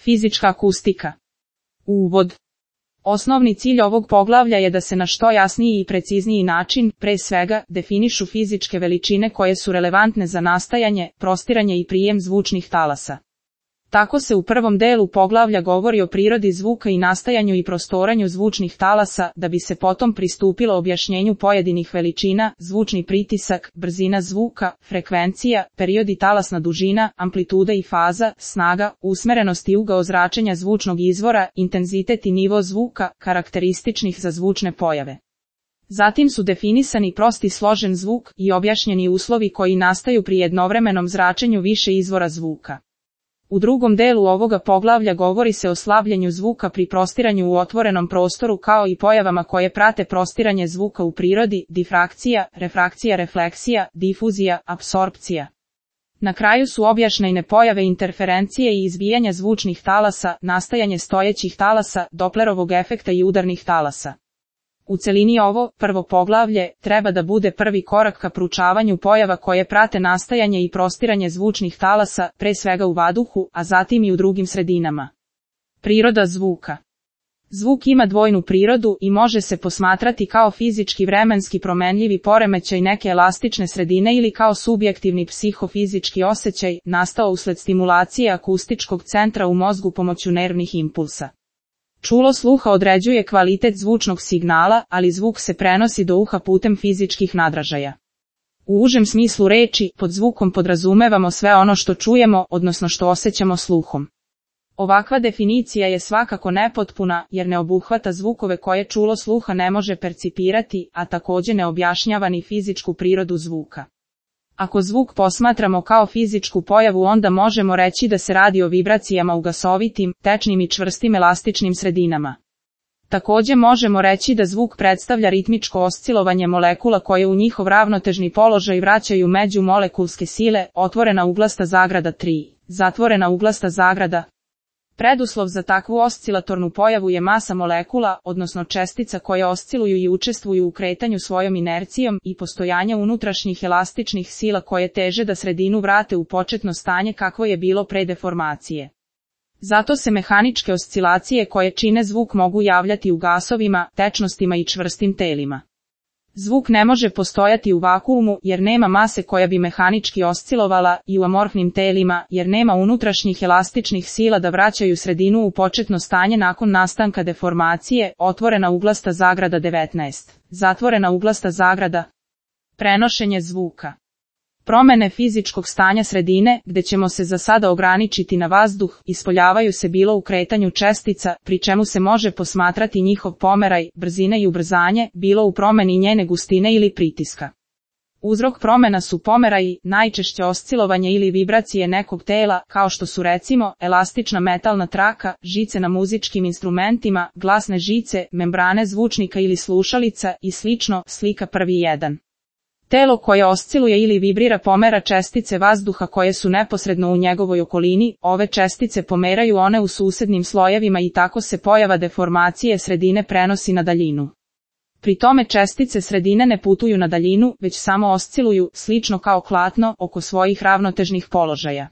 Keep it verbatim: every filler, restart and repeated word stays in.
Fizička akustika. Uvod. Osnovni cilj ovog poglavlja je da se na što jasniji i precizniji način, pre svega, definišu fizičke veličine koje su relevantne za nastajanje, prostiranje i prijem zvučnih talasa. Tako se u prvom delu poglavlja govori o prirodi zvuka i nastajanju i prostoranju zvučnih talasa, da bi se potom pristupilo objašnjenju pojedinih veličina, zvučni pritisak, brzina zvuka, frekvencija, period i talasna dužina, amplituda i faza, snaga, usmerenost i ugao zračenja zvučnog izvora, intenzitet i nivo zvuka, karakterističnih za zvučne pojave. Zatim su definisani prosti složen zvuk i objašnjeni uslovi koji nastaju pri jednovremenom zračenju više izvora zvuka. U drugom delu ovoga poglavlja govori se o slavljenju zvuka pri prostiranju u otvorenom prostoru kao i pojavama koje prate prostiranje zvuka u prirodi, difrakcija, refrakcija, refleksija, difuzija, apsorpcija. Na kraju su objašnjene pojave interferencije i izbijanja zvučnih talasa, nastajanje stojećih talasa, Doplerovog efekta i udarnih talasa. U celini ovo, prvo poglavlje, treba da bude prvi korak ka proučavanju pojava koje prate nastajanje i prostiranje zvučnih talasa, pre svega u vazduhu, a zatim i u drugim sredinama. Priroda zvuka. Zvuk ima dvojnu prirodu i može se posmatrati kao fizički vremenski promenljivi poremećaj neke elastične sredine ili kao subjektivni psihofizički osjećaj, nastao usled stimulacije akustičkog centra u mozgu pomoću nervnih impulsa. Čulo sluha određuje kvalitet zvučnog signala, ali zvuk se prenosi do uha putem fizičkih nadražaja. U užem smislu reči, pod zvukom podrazumevamo sve ono što čujemo, odnosno što osjećamo sluhom. Ovakva definicija je svakako nepotpuna, jer ne obuhvata zvukove koje čulo sluha ne može percipirati, a također ne objašnjava ni fizičku prirodu zvuka. Ako zvuk posmatramo kao fizičku pojavu, onda možemo reći da se radi o vibracijama u gasovitim, tečnim i čvrstim elastičnim sredinama. Također možemo reći da zvuk predstavlja ritmičko oscilovanje molekula koje u njihov ravnotežni položaj vraćaju međumolekulske sile, otvorena uglasta zagrada tri, zatvorena uglasta zagrada. Preduslov za takvu oscilatornu pojavu je masa molekula, odnosno čestica koje osciluju i učestvuju u kretanju svojom inercijom i postojanje unutrašnjih elastičnih sila koje teže da sredinu vrate u početno stanje kakvo je bilo pre deformacije. Zato se mehaničke oscilacije koje čine zvuk mogu javljati u gasovima, tečnostima i čvrstim telima. Zvuk ne može postojati u vakuumu jer nema mase koja bi mehanički oscilovala i u amorfnim telima jer nema unutrašnjih elastičnih sila da vraćaju sredinu u početno stanje nakon nastanka deformacije, otvorena uglasta zagrada devetnaest, zatvorena uglasta zagrada. Prenošenje zvuka. Promene fizičkog stanja sredine, gde ćemo se za sada ograničiti na vazduh, ispoljavaju se bilo u kretanju čestica, pri čemu se može posmatrati njihov pomeraj, brzine i ubrzanje, bilo u promeni njene gustine ili pritiska. Uzrok promena su pomeraji, najčešće oscilovanje ili vibracije nekog tela, kao što su recimo elastična metalna traka, žice na muzičkim instrumentima, glasne žice, membrane zvučnika ili slušalica i slično, slika prvi jedan. Telo koje osciluje ili vibrira pomera čestice vazduha koje su neposredno u njegovoj okolini, ove čestice pomeraju one u susednim slojevima i tako se pojava deformacije sredine prenosi na daljinu. Pri tome čestice sredine ne putuju na daljinu, već samo osciluju, slično kao klatno, oko svojih ravnotežnih položaja.